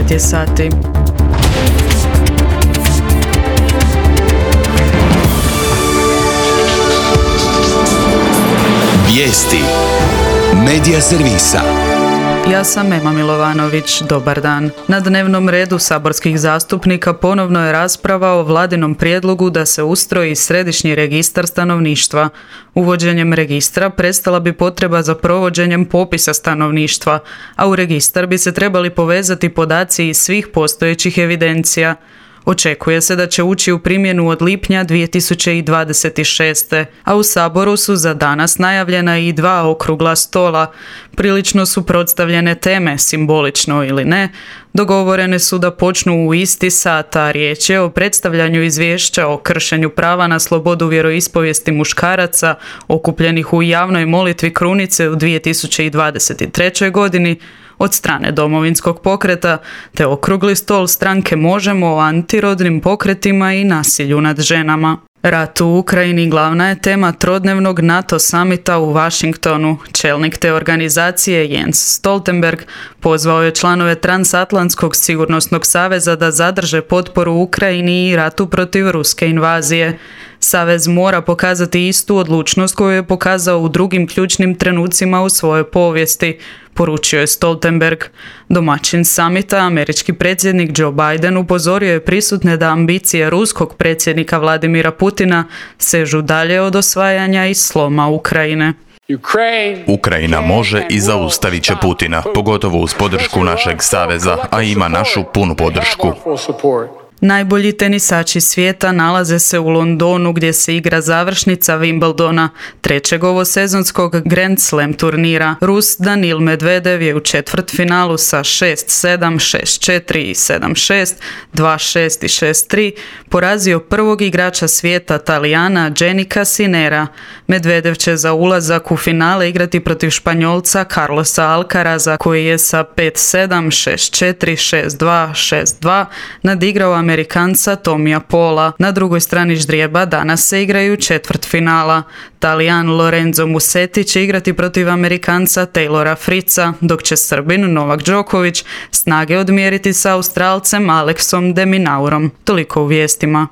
9 je sati. Vijesti Medija servisa. Ja sam Ema Milovanović, dobar dan. Na dnevnom redu saborskih zastupnika ponovno je rasprava o vladinom prijedlogu da se ustroji središnji registar stanovništva. Uvođenjem registra prestala bi potreba za provođenjem popisa stanovništva, a u registar bi se trebali povezati podaci iz svih postojećih evidencija. Očekuje se da će ući u primjenu od lipnja 2026. A u Saboru su za danas najavljena i 2 okrugla stola. Prilično su predstavljene teme, simbolično ili ne. Dogovorene su da počnu u isti sat, a riječ je o predstavljanju izvješća o kršenju prava na slobodu vjeroispovijesti muškaraca okupljenih u javnoj molitvi Krunice u 2023. godini od strane Domovinskog pokreta, te okrugli stol stranke Možemo o antirodnim pokretima i nasilju nad ženama. Rat u Ukrajini glavna je tema trodnevnog NATO samita u Washingtonu. Čelnik te organizacije Jens Stoltenberg pozvao je članove Transatlantskog sigurnosnog saveza da zadrže potporu Ukrajini i ratu protiv ruske invazije. Savez mora pokazati istu odlučnost koju je pokazao u drugim ključnim trenucima u svojoj povijesti, poručio je Stoltenberg. Domaćin samita, američki predsjednik Joe Biden, upozorio je prisutne da ambicije ruskog predsjednika Vladimira Putina sežu dalje od osvajanja i sloma Ukrajine. Ukrajina može i zaustavit će Putina, pogotovo uz podršku našeg saveza, a ima našu punu podršku. Najbolji tenisači svijeta nalaze se u Londonu gdje se igra završnica Wimbledona, trećeg ovosezonskog Grand Slam turnira. Rus Danil Medvedev je u četvrtfinalu sa 6-7, 6-4 i 7-6, 2-6 i 6-3 porazio prvog igrača svijeta Talijana Jannika Sinnera. Medvedev će za ulazak u finale igrati protiv Španjolca Carlosa Alcaraza koji je sa 5-7, 6-4, 6-2, 6-2 nadigrao Amerikanca Tomija Paula. Na drugoj strani ždrijeba danas se igraju četvrtfinala. Talijan Lorenzo Musetti će igrati protiv Amerikanca Taylora Fritza, dok će Srbin Novak Đoković snage odmjeriti sa Australcem Alexom de Minaurom. Toliko u vijestima.